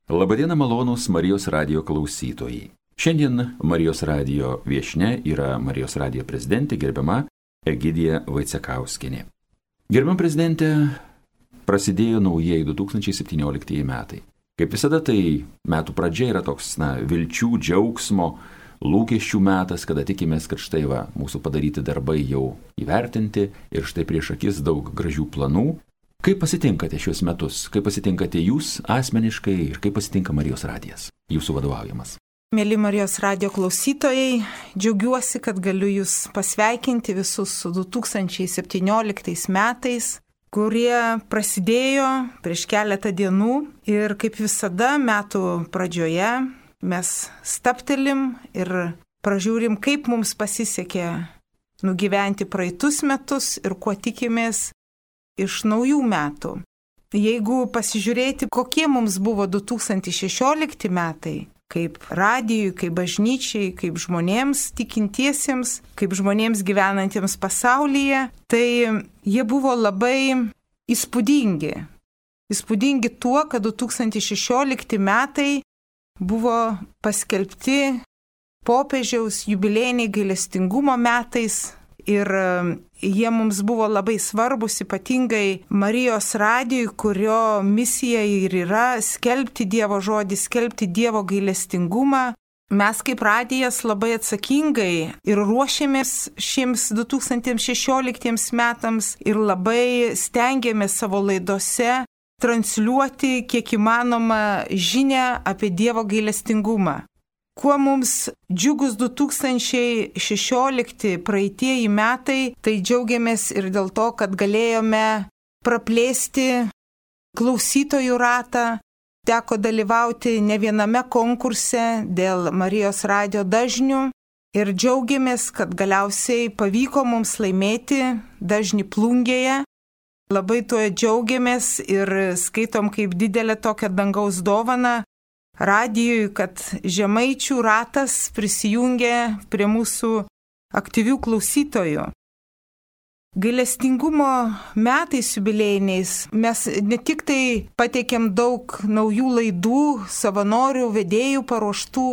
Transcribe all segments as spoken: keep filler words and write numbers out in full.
Labadiena malonūs Marijos radijo klausytojai. Šiandien Marijos radijo viešnia yra Marijos radijo prezidentė gerbiama Egidija Vaicekauskienė. Gerbiama prezidentė, prasidėjo naujieji du tūkstančiai septynioliktieji metai. Kaip visada tai metų pradžia yra toks, na, vilčių, džiaugsmo, lūkesčių metas, kada tikimės, kad štai va, mūsų padaryti darbai jau įvertinti ir štai prieš akis daug gražių planų. Kaip pasitinkate šios metus? Kaip pasitinkate jūs asmeniškai ir kaip pasitinka Marijos radijas, jūsų vadovaujamas? Mėly Marijos radijo klausytojai, džiaugiuosi, kad galiu jūs pasveikinti visus su du tūkstančiai septynioliktais metais, kurie prasidėjo prieš keletą dienų ir kaip visada metų pradžioje mes staptelim ir pražiūrim, kaip mums pasisekė nugyventi praeitus metus ir kuo tikimės iš naujų metų. Jeigu pasižiūrėti, kokie mums buvo du tūkstančiai šešiolikti metai, kaip radijui, kaip bažnyčiai, kaip žmonėms tikintiesiems, kaip žmonėms gyvenantiems pasaulyje, tai jie buvo labai įspūdingi. Įspūdingi tuo, kad du tūkstančiai šešiolikti metai buvo paskelbti popiežiaus jubiliejiniai gailestingumo metais ir jie mums buvo labai svarbus, ypatingai Marijos radijui, kurio misija ir yra skelbti Dievo žodį, skelbti Dievo gailestingumą. Mes kaip radijas labai atsakingai ir ruošėmės šiems du tūkstančiai šešioliktiems metams ir labai stengiamės savo laidose transliuoti kiek įmanoma žinią apie Dievo gailestingumą. Kuo mums džiugus du tūkstančiai šešiolikti praeitieji metai, tai džiaugiamės ir dėl to, kad galėjome praplėsti klausytojų ratą, teko dalyvauti ne viename konkurse dėl Marijos radijo dažnių ir džiaugiamės, kad galiausiai pavyko mums laimėti dažnį Plungėje. Labai tuo džiaugiamės ir skaitom kaip didelę tokią dangaus dovaną radijui, kad žemaičių ratas prisijungė prie mūsų aktyvių klausytojų. Gailestingumo metais jubiliejiniais mes ne tik tai pateikėm daug naujų laidų, savanorių, vedėjų paruoštų,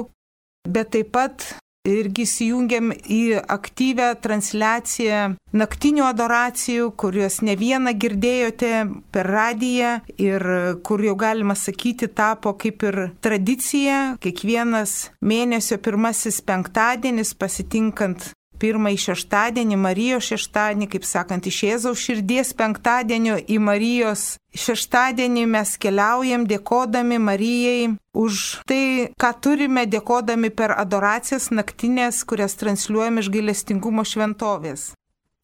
bet taip pat irgi įsijungėm į aktyvę transliaciją naktinių adoracijų, kuriuos ne vieną girdėjote per radiją ir kur jau galima sakyti tapo kaip ir tradicija. Kiekvienas mėnesio pirmasis penktadienis pasitinkant pirmąjį šeštadienį, Marijos šeštadienį, kaip sakant, iš Jėzaus širdies penktadienio į Marijos šeštadienį mes keliaujam dėkodami Marijai už tai, ką turime, dėkodami per adoracijas naktinės, kurias transliuojam iš gailestingumo šventovės.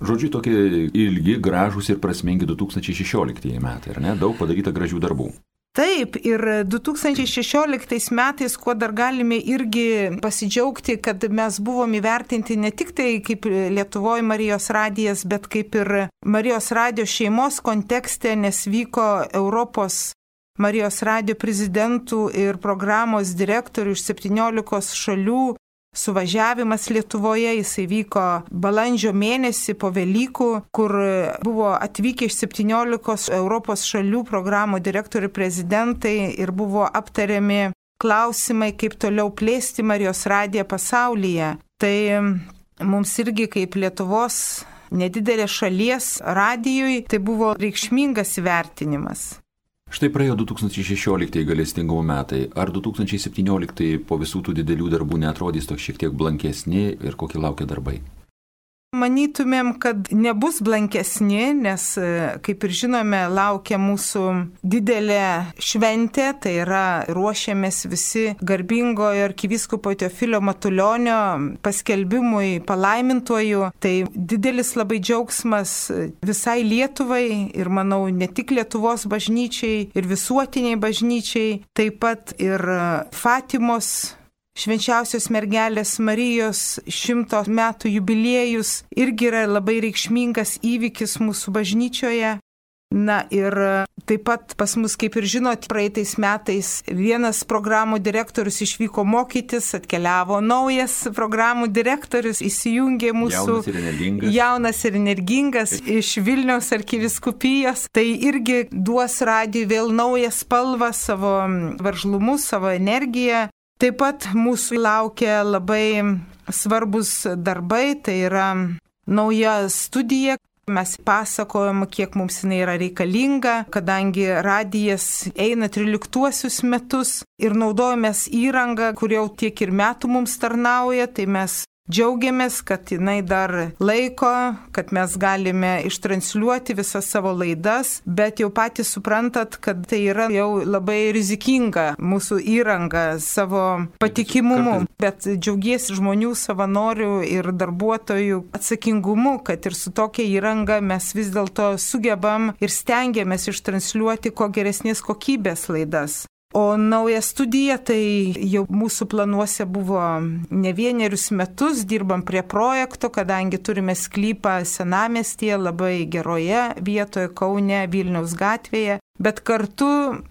Žodžiu, tokie ilgi, gražūs ir prasmingi du tūkstančiai šešioliktieji metai, ar ne? Daug padaryta gražių darbų. Taip, ir du tūkstančiai šešioliktais metais, kuo dar galime irgi pasidžiaugti, kad mes buvom įvertinti ne tik tai kaip Lietuvoje Marijos radijas, bet kaip ir Marijos radijo šeimos kontekste, nes vyko Europos Marijos radijo prezidentų ir programos direktorių iš septyniolikos šalių suvažiavimas Lietuvoje. Jisai vyko balandžio mėnesį po Velykų, kur buvo atvykę iš septyniolikos Europos šalių programų direktorių prezidentai ir buvo aptariami klausimai, kaip toliau plėsti Marijos radiją pasaulyje. Tai mums irgi kaip Lietuvos nedidelės šalies radijui tai buvo reikšmingas įvertinimas. Štai praėjo du tūkstančiai šešioliktieji gailestingumo metai. Ar du tūkstančiai septynioliktieji po visų tų didelių darbų neatrodys toks šiek tiek blankesni ir kokie laukia darbai? Manytumėm, kad nebus blankesni, nes, kaip ir žinome, laukia mūsų didelė šventė, tai yra ruošiamės visi garbingojo arkivyskupo Teofilio Matulionio paskelbimui palaimintuoju. Tai didelis labai džiaugsmas visai Lietuvai ir, manau, ne tik Lietuvos bažnyčiai ir visuotiniai bažnyčiai, taip pat ir Fatimos Švenčiausios mergelės Marijos šimto metų jubiliejus irgi yra labai reikšmingas įvykis mūsų bažnyčioje. Na ir taip pat pas mus, kaip ir žinot, praeitais metais vienas programų direktorius išvyko mokytis, atkeliavo naujas programų direktorius, įsijungė mūsų jaunas ir energingas, jaunas ir energingas iš Vilniaus arkivyskupijos. Tai irgi duos radijui vėl naują spalvą, savo veržlumu, savo energiją. Taip pat mūsų laukia labai svarbus darbai, tai yra nauja studija. Mes pasakojam, kiek mums jinai yra reikalinga, kadangi radijas eina tryliktuosius metus ir naudojamės įrangą, kur jau tiek ir metų mums tarnauja, tai mes džiaugiamės, kad jinai dar laiko, kad mes galime ištransliuoti visas savo laidas, bet jau patys suprantat, kad tai yra jau labai rizikinga mūsų įranga savo patikimumu, bet džiaugiesi žmonių, savanorių ir darbuotojų atsakingumu, kad ir su tokia įranga mes vis dėlto sugebam ir stengiamės ištransliuoti kuo geresnės kokybės laidas. O nauja studija, tai jau mūsų planuose buvo ne vienerius metus, dirbam prie projekto, kadangi turime sklypą Senamiestyje, labai geroje vietoje, Kaune, Vilniaus gatvėje. Bet kartu,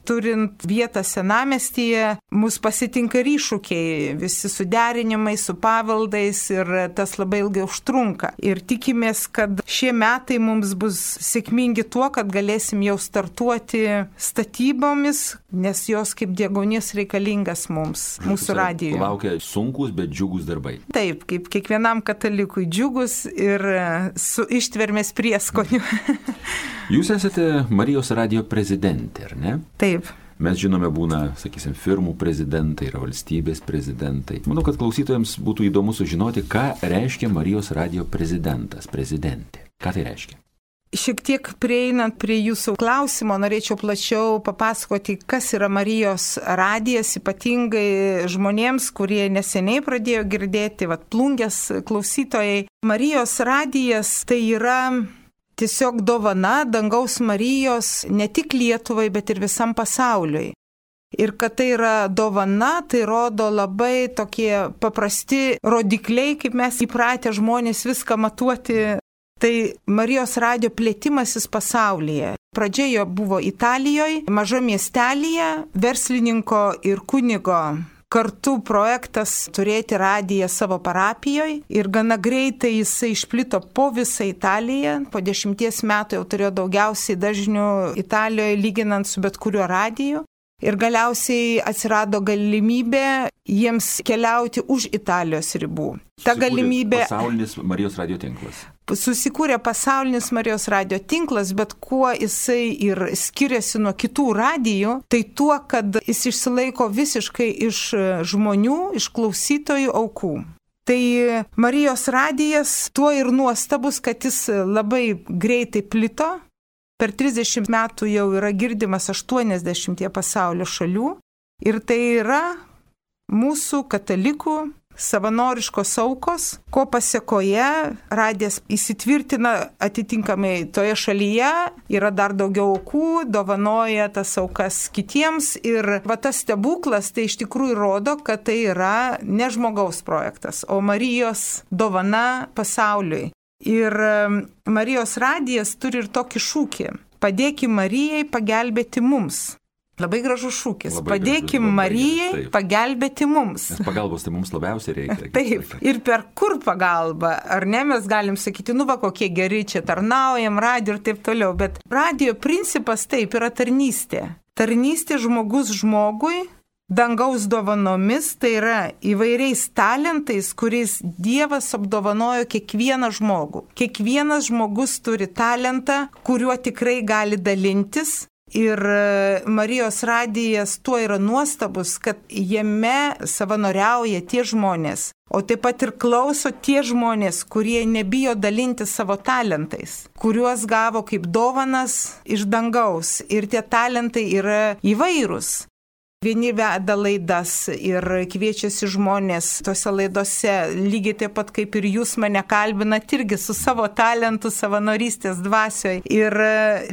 turint vietą Senamiestyje, mus pasitinka iššūkiai, visi suderinimai su pavaldais ir tas labai ilgai užtrunka. Ir tikimės, kad šie metai mums bus sėkmingi tuo, kad galėsim jau startuoti statybomis, nes jos kaip deguonis reikalingas mums, mūsų radijui. Laukia sunkus, bet džiugus darbai. Taip, kaip kiekvienam katalikui džiugus ir su ištvermės prieskoniu. Jūs esate Marijos radijo prezidentė, ar ne? Taip. Mes žinome, būna, sakysim, firmų prezidentai, yra valstybės prezidentai. Manau, kad klausytojams būtų įdomu sužinoti, ką reiškia Marijos radijo prezidentas, prezidentė. Ką tai reiškia? Šiek tiek prieinant prie jūsų klausimo, norėčiau plačiau papasakoti, kas yra Marijos radijas, ypatingai žmonėms, kurie neseniai pradėjo girdėti, vat plungės klausytojai. Marijos radijas tai yra tiesiog dovana dangaus Marijos ne tik Lietuvai, bet ir visam pasauliui. Ir kad tai yra dovana, tai rodo labai tokie paprasti rodikliai, kaip mes įpratę žmonės viską matuoti. Tai Marijos radijo plėtimasis pasaulyje. Pradžia jo buvo Italijoje, mažo miestelyje, verslininko ir kunigo kartu projektas turėti radiją savo parapijoje ir gana greitai jisai išplito po visą Italiją. Po dešimties metų jau turėjo daugiausiai dažnių Italijoje lyginant su bet kuriuo radiju. Ir galiausiai atsirado galimybė jiems keliauti už Italijos ribų. Ta galimybė... Pasaulinis Marijos radijo tinklas. Susikūrė pasaulinis Marijos radijo tinklas, bet kuo jisai ir skiriasi nuo kitų radijų, tai tuo, kad jis išsilaiko visiškai iš žmonių, iš klausytojų aukų. Tai Marijos radijas tuo ir nuostabus, kad jis labai greitai plito. Per trisdešimt metų jau yra girdimas aštuoniasdešimtyje pasaulio šalių ir tai yra mūsų katalikų savanoriškos aukos, ko pasiekoje radijas įsitvirtina atitinkamai toje šalyje, yra dar daugiau aukų, dovanoja tas aukas kitiems ir va tas stebuklas tai iš tikrųjų rodo, kad tai yra ne žmogaus projektas, o Marijos dovana pasauliui. Ir Marijos radijas turi ir tokį šūkį. Padėkim Marijai pagelbėti mums. Labai gražus šūkis. Labai Padėkim gražus, Marijai taip. Pagelbėti mums. Nes pagalbos tai mums labiausiai reikia. Taip. Ir per kur pagalba? Ar ne, mes galim sakyti, nu va, kokie geri čia tarnaujam, radijo ir taip toliau. Bet radijo principas taip yra tarnystė. Tarnystė žmogus žmogui. Dangaus dovanomis, tai yra įvairiais talentais, kuriais Dievas apdovanojo kiekvieną žmogų. Kiekvienas žmogus turi talentą, kuriuo tikrai gali dalintis. Ir Marijos radijas tuo yra nuostabus, kad jame savanoriauja tie žmonės, o taip pat ir klauso tie žmonės, kurie nebijo dalinti savo talentais, kuriuos gavo kaip dovanas iš dangaus. Ir tie talentai yra įvairūs. Vieni veda laidas ir kviečiasi žmonės tose laidose, lygiai taip pat kaip ir jūs mane kalbinat, irgi su savo talentu, savanorystės dvasioje. Ir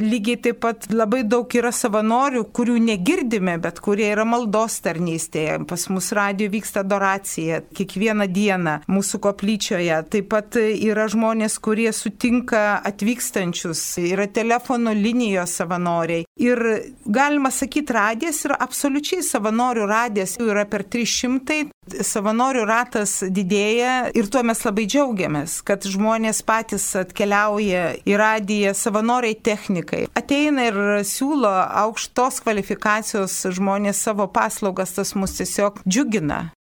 lygiai taip pat labai daug yra savanorių, kurių negirdime, bet kurie yra maldos tarnystėje. Pas mus radijo vyksta adoracija kiekvieną dieną mūsų koplyčioje. Taip pat yra žmonės, kurie sutinka atvykstančius, yra telefono linijos savanoriai. Ir galima sakyti, radijas yra absoliučiai savanorių radijas, jų yra per trys šimtai, savanorių ratas didėja ir tuo mes labai džiaugiamės, kad žmonės patys atkeliauja į radiją, savanoriai technikai. Ateina ir siūlo aukštos kvalifikacijos žmonės savo paslaugas, tas mus tiesiog džiugina.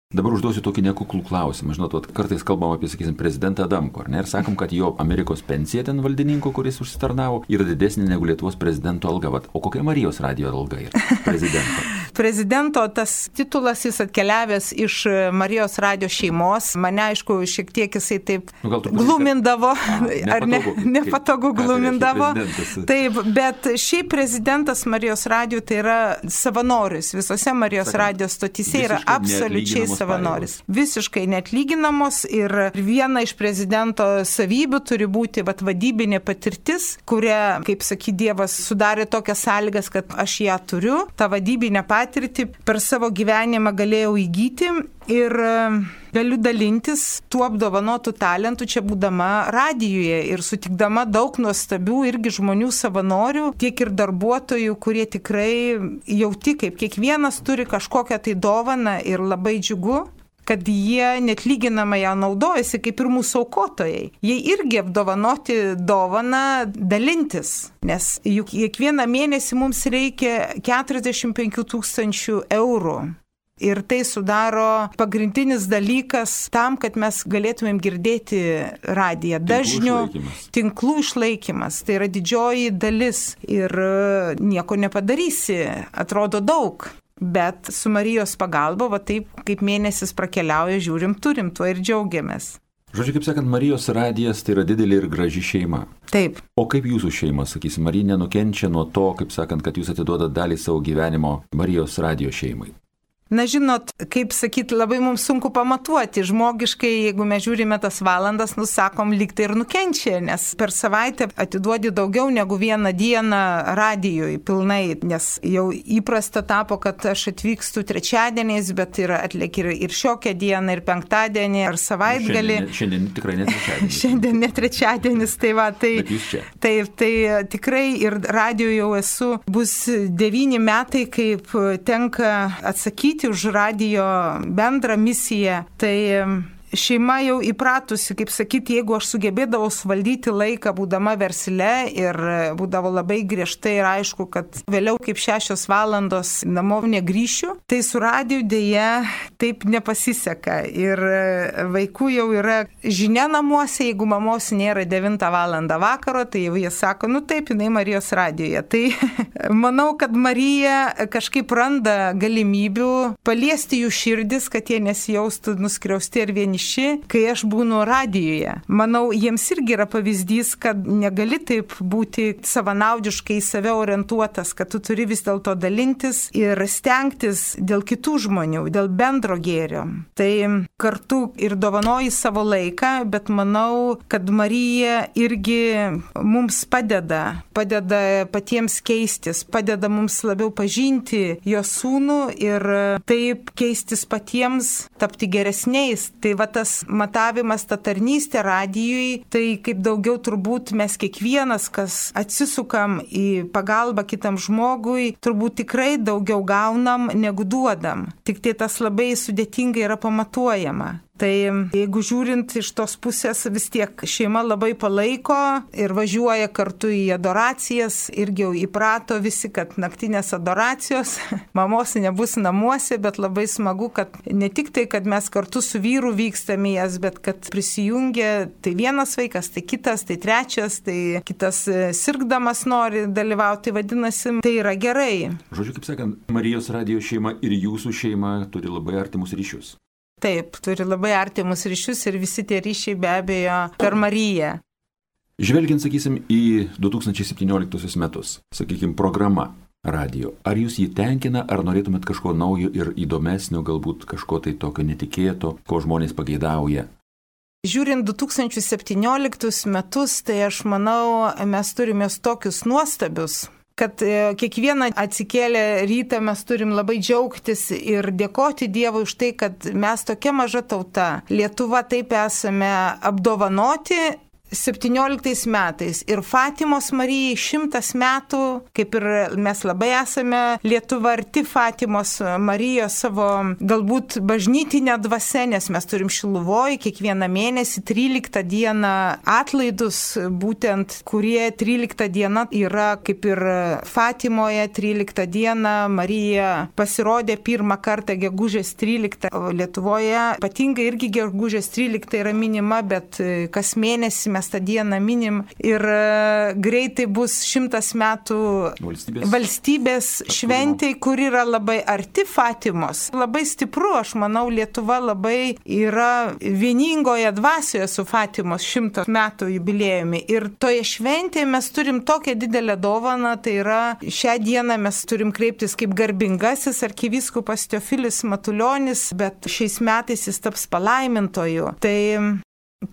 Dabar užduosiu tokį nekuklų klausimą. Žinot, kartais kalbam apie, sakysim, prezidentą Adamkų, ar ne? Ir sakom, kad jo Amerikos pensija ten valdininko, kuris užsitarnavo, yra didesnė negu Lietuvos prezidento alga. Vat, o kokia Marijos radijo alga yra prezidento? Prezidento tas titulas jis atkeliavęs iš Marijos radijo šeimos. Mane, aišku, šiek tiek jisai taip nu, glumindavo, kad... a, ar ne, nepatogu glumindavo. Taip, bet šiaip prezidentas Marijos radijo tai yra savanoris. Visose Marijos radijo stotyse yra absoliučiai savanoris. Visiškai neatlyginamos ir viena iš prezidento savybių turi būti vat, vadybinė patirtis, kuria, kaip sakė Dievas, sudarė tokias sąlygas, kad aš ją turiu. Ta vadybinė patirtį per savo gyvenimą galėjau įgyti ir galiu dalintis tuo apdovanotų talentų čia būdama radijuje ir sutikdama daug nuostabių irgi žmonių savanorių, tiek ir darbuotojų, kurie tikrai jauti, kaip kiekvienas turi kažkokią tai dovaną ir labai džiugu, kad jie netlyginamai ją naudojasi kaip ir mūsų aukotojai. Jie irgi apdovanoti dovaną dalintis, nes juk kiekvieną mėnesį mums reikia keturiasdešimt penkių tūkstančių eurų. Ir tai sudaro pagrindinis dalykas tam, kad mes galėtumėm girdėti radiją. Dažnių tinklų išlaikymas. Tai yra didžioji dalis ir nieko nepadarysi. Atrodo daug. Bet su Marijos pagalba, va taip kaip mėnesis prakeliauja, žiūrim, turim, tuo ir džiaugiamės. Žodžiu, kaip sakant, Marijos radijas tai yra didelė ir graži šeima. Taip. O kaip jūsų šeima, sakysim, Marija nenukenčia nuo to, kaip sakant, kad jūs atiduodat dalį savo gyvenimo Marijos radijo šeimai? Na, žinot, kaip sakyti, labai mums sunku pamatuoti. Žmogiškai, jeigu mes žiūrime tas valandas, nusakom, lyg tai ir nukenčia, nes per savaitę atiduodi daugiau negu vieną dieną radijui pilnai, nes jau įprasta tapo, kad aš atvykstu trečiadieniais, bet ir atliek ir, ir šiokią dieną, ir penktadienį, ar savaitgalį. Šiandien, šiandien tikrai ne trečiadienis. Šiandien ne trečiadienis, tai va, tai, tai, tai tikrai ir radijo jau esu, bus devyni metai, kaip tenka atsakyti už radijo bendrą misiją, tai šeima jau įpratusi, kaip sakyti, jeigu aš sugebėdavau suvaldyti laiką, būdama versle ir būdavo labai griežtai ir aišku, kad vėliau kaip šešios valandos namo negrįšiu, tai su radiju dėja taip nepasiseka. Ir vaikų jau yra žinia namuose, jeigu mamos nėra devintą valandą vakaro, tai jau jie sako, nu taip, jinai Marijos radijoje. Tai manau, kad Marija kažkaip randa galimybių paliesti jų širdis, kad jie nesijaustų nuskriausti ir vieni. Kai aš būnu radijuje. Manau, jiems irgi yra pavyzdys, kad negali taip būti savanaudiškai į save orientuotas, kad tu turi vis dėlto dalintis ir stengtis dėl kitų žmonių, dėl bendro gėrio. Tai kartu ir dovanoji savo laiką, bet manau, kad Marija irgi mums padeda, padeda patiems keistis, padeda mums labiau pažinti jo sūnų ir taip keistis patiems, tapti geresniais. Tai va tas matavimas, ta tarnystė radijui, tai kaip daugiau turbūt mes kiekvienas, kas atsisukam į pagalbą kitam žmogui, turbūt tikrai daugiau gaunam negu duodam. Tik tai tas labai sudėtingai yra pamatuojama. Tai jeigu žiūrint iš tos pusės, vis tiek šeima labai palaiko ir važiuoja kartu į adoracijas, irgi jau įprato visi, kad naktinės adoracijos, mamos nebus namuose, bet labai smagu, kad ne tik tai, kad mes kartu su vyru vykstame jas, bet kad prisijungia tai vienas vaikas, tai kitas, tai trečias, tai kitas sirgdamas nori dalyvauti, vadinasi, tai yra gerai. Žodžiu, kaip sakant, Marijos radijo šeima ir jūsų šeima turi labai artimus ryšius. Taip, turi labai artimus ryšius ir visi tie ryšiai be abejo per Mariją. Žvelgiant, sakysim, į du tūkstančiai septynioliktuosius metus, sakykim, programa. radijo. Ar jūs jį tenkina, ar norėtumėt kažko naujo ir įdomesnio, galbūt kažko tai tokio netikėto, ko žmonės pageidauja? Žiūrint du tūkstančiai septynioliktus metus, tai aš manau, mes turime tokius nuostabius, kad kiekvieną atsikėlę rytą mes turim labai džiaugtis ir dėkoti Dievui už tai, kad mes tokia maža tauta, Lietuva, taip esame apdovanoti septynioliktais metais ir Fatimos Marijai šimtas metų, kaip ir mes labai esame Lietuva arti Fatimos Marijos savo galbūt bažnytinę dvasę, nes mes turim Šiluvoj kiekvieną mėnesį tryliktą dieną atlaidus, būtent kurie tryliktą dieną yra kaip ir Fatimoje, tryliktą dieną Marija pasirodė pirmą kartą gegužės tryliktą, Lietuvoje ypatingai irgi gegužės tryliktą yra minima, bet kas mėnesį mes tą dieną minim ir greitai bus šimtas metų valstybės, valstybės šventei, kur yra labai arti Fatimos. Labai stipru, aš manau, Lietuva labai yra vieningoje dvasioje su Fatimos šimto metų jubiliejumi. Ir toje šventėje mes turim tokią didelę dovaną, tai yra šią dieną mes turim kreiptis kaip garbingasis arkivyskupas Teofilis Matulionis, bet šiais metais jis taps palaimintoju. Tai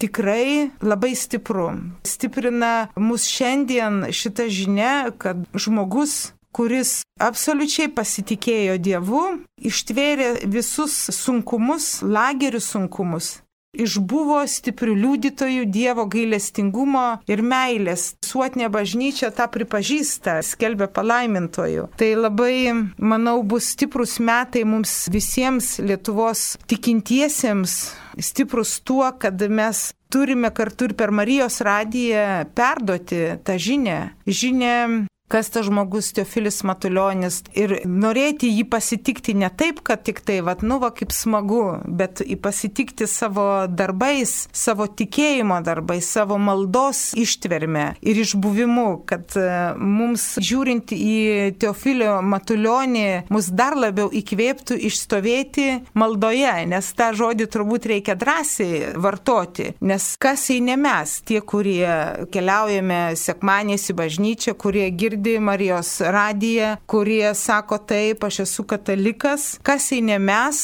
tikrai labai stipru. Stiprina mus šiandien šita žinia, kad žmogus, kuris absoliučiai pasitikėjo Dievu, ištvėrė visus sunkumus, lagerių sunkumus, išbuvo stiprių liudytojų Dievo gailestingumo ir meilės. Visuotinė bažnyčia tą pripažįsta, skelbia palaimintojų. Tai labai, manau, bus stiprus metai mums visiems Lietuvos tikintiesiems, stiprus tuo, kad mes turime kartu ir per Marijos radiją perduoti tą žinią. Žinią, kas tas žmogus Teofilis Matulionis ir norėti jį pasitikti ne taip, kad tik tai, vat, nu, va, kaip smagu, bet pasitikti savo darbais, savo tikėjimo darbais, savo maldos ištverme ir išbuvimu, kad mums žiūrint į Teofilio Matulionį, mus dar labiau įkvėptų išstovėti maldoje, nes tą žodį turbūt reikia drąsiai vartoti, nes kas jei ne mes, tie, kurie keliaujame sekmadieniais į bažnyčią, kurie girdi Marijos radiją, kurie sako taip, aš esu katalikas, kas jei ne mes,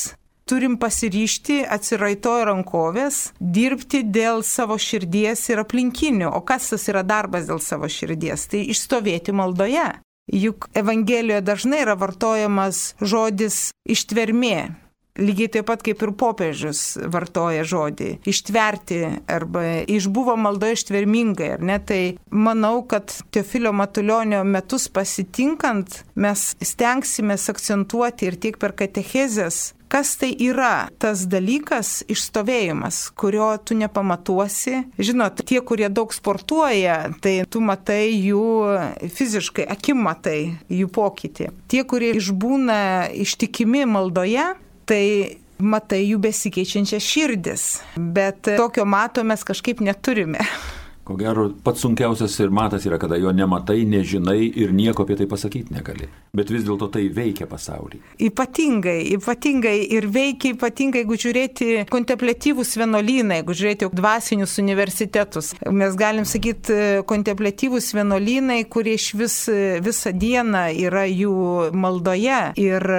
turim pasiryžti atsiraitoję rankovės, dirbti dėl savo širdies ir aplinkinių. O kas tas yra darbas dėl savo širdies? Tai išstovėti maldoje. Juk Evangelijoje dažnai yra vartojamas žodis ištvermė. Lygiai taip pat kaip ir popiežius vartoja žodį ištverti arba išbuvo maldoje ištvermingai, ar ne? Tai manau, kad Teofilio Matulionio metus pasitinkant mes stengsimės akcentuoti ir tiek per katechezes, kas tai yra tas dalykas išstovėjimas, kurio tu nepamatuosi. Žinot, tie, kurie daug sportuoja, tai tu matai jų fiziškai, akim matai jų pokytį. Tie, kurie išbūna ištikimi maldoje, tai matai jų besikeičiančias širdis, bet tokio mato mes kažkaip neturime. Ko gero, pats sunkiausias ir matas yra, kada jo nematai, nežinai ir nieko apie tai pasakyti negali. Bet vis dėlto tai veikia pasaulį. Ypatingai, ypatingai ir veikia ypatingai, jeigu žiūrėti kontempliatyvus vienuolynai, jeigu žiūrėti dvasinius universitetus. Mes galim sakyti kontempliatyvus vienuolynai, kurie iš vis visą dieną yra jų maldoje ir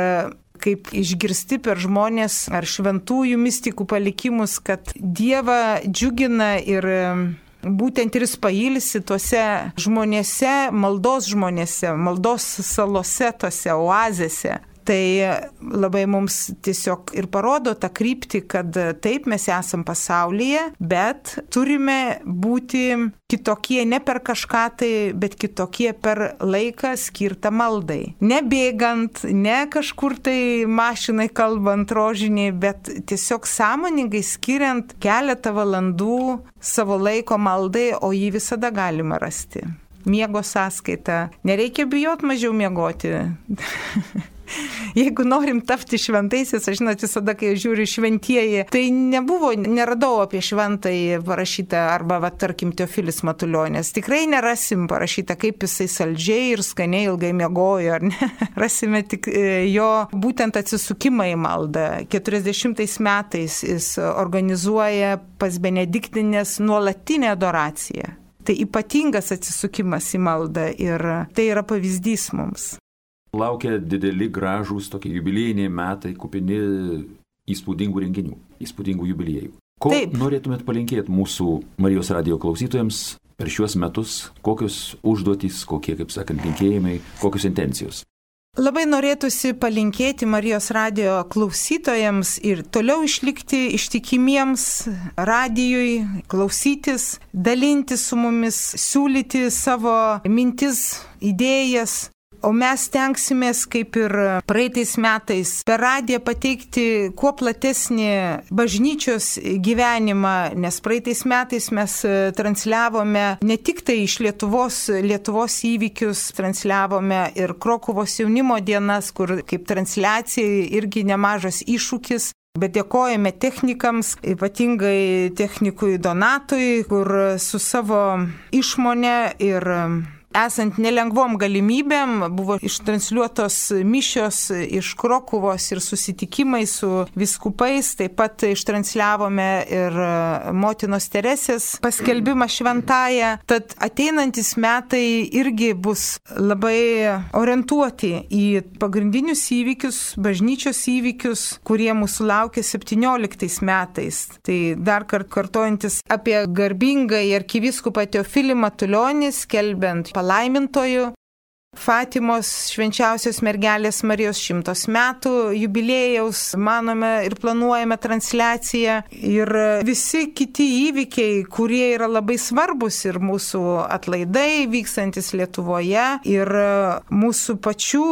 kaip išgirsti per žmonės ar šventųjų mistikų palikimus, kad Dievą džiugina ir būtent ir jis pailsi tuose žmonėse, maldos žmonėse, maldos salose, tose oazėse. Tai labai mums tiesiog ir parodo tą kryptį, kad taip mes esam pasaulyje, bet turime būti kitokie ne per kažką tai, bet kitokie per laiką skirtą maldai. Ne bėgant, ne kažkur tai mašinai kalbant rožiniai, bet tiesiog sąmoningai skiriant keletą valandų savo laiko maldai, o jį visada galima rasti. Miego sąskaita. Nereikia bijot mažiau miegoti. Jeigu norim tapti šventaisiais, aš žinot, visada, kai žiūriu šventieji, tai nebuvo, neradau apie šventąjį parašytą, arba, va, tarkim, Teofilis Matulionis. Tikrai nerasim parašytą, kaip jisai saldžiai ir skaniai ilgai miegojo, ar ne? Rasime tik jo būtent atsisukimą į maldą. keturiasdešimtais metais jis organizuoja pas Benediktinės nuolatinę adoraciją. Tai ypatingas atsisukimas į maldą ir tai yra pavyzdys mums. Laukia dideli, gražūs, tokie jubiliejiniai metai, kupini įspūdingų renginių, įspūdingų jubiliejų. Ko Taip. norėtumėt palinkėti mūsų Marijos radijo klausytojams per šiuos metus, kokios užduotys, kokie, kaip sakant, linkėjimai, kokios intencijos? Labai norėtųsi palinkėti Marijos radijo klausytojams ir toliau išlikti ištikimiems radijui, klausytis, dalintis su mumis, siūlyti savo mintis, idėjas. O mes tenksimės, kaip ir praeitais metais, per radiją pateikti kuo platesnį bažnyčios gyvenimą, nes praeitais metais mes transliavome ne tik tai iš Lietuvos, Lietuvos įvykius, transliavome ir Krokuvos jaunimo dienas, kur kaip transliacija irgi nemažas iššūkis. Bet dėkojame technikams, ypatingai technikui Donatui, kur su savo išmone ir esant nelengvom galimybėm buvo ištransliuotos mišios iš Krokuvos ir susitikimai su vyskupais, taip pat ištransliavome ir motinos Teresės paskelbimą šventąją. Tad ateinantis metai irgi bus labai orientuoti į pagrindinius įvykius, bažnyčios įvykius, kurie mūsų laukia septynioliktais metais. Tai dar kart kartojantis apie garbingąjį arkivyskupą Teofilį Matulionį, skelbiant palaimintojų Fatimos švenčiausios mergelės Marijos šimtos metų jubiliejaus, manome ir planuojame transliaciją ir visi kiti įvykiai, kurie yra labai svarbus ir mūsų atlaidai vykstantis Lietuvoje ir mūsų pačių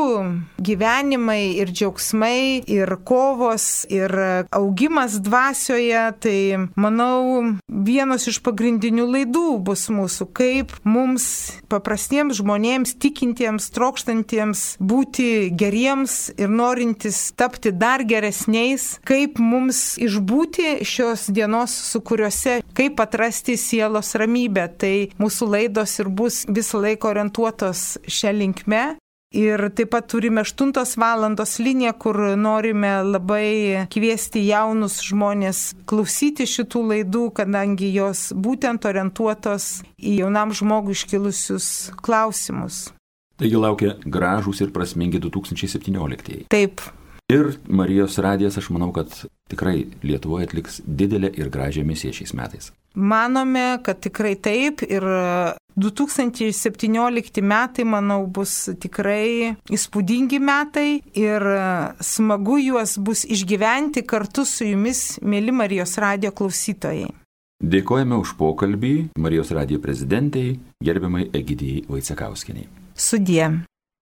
gyvenimai ir džiaugsmai ir kovos ir augimas dvasioje, tai manau vienos iš pagrindinių laidų bus mūsų, kaip mums paprastiems žmonėms tikintiems trokštantiems būti geriems ir norintys tapti dar geresniais, kaip mums išbūti šios dienos sukūriuose, kaip atrasti sielos ramybę. Tai mūsų laidos ir bus visą laiką orientuotos šią linkme. Ir taip pat turime aštuntos valandos liniją, kur norime labai kviesti jaunus žmonės klausyti šitų laidų, kadangi jos būtent orientuotos į jaunam žmogui iškilusius klausimus. Taigi laukia gražūs ir prasmingi du tūkstančiai septynioliktieji. Taip. Ir Marijos radijas, aš manau, kad tikrai Lietuvoje atliks didelę ir gražią misiją šiais metais. Manome, kad tikrai taip ir du tūkstančiai septyniolikti metai, manau, bus tikrai įspūdingi metai ir smagu juos bus išgyventi kartu su jumis, mėly Marijos radijo klausytojai. Dėkojame už pokalbį Marijos radijo prezidentai, gerbiamai Egidijai Vaicekauskienei. Sudie.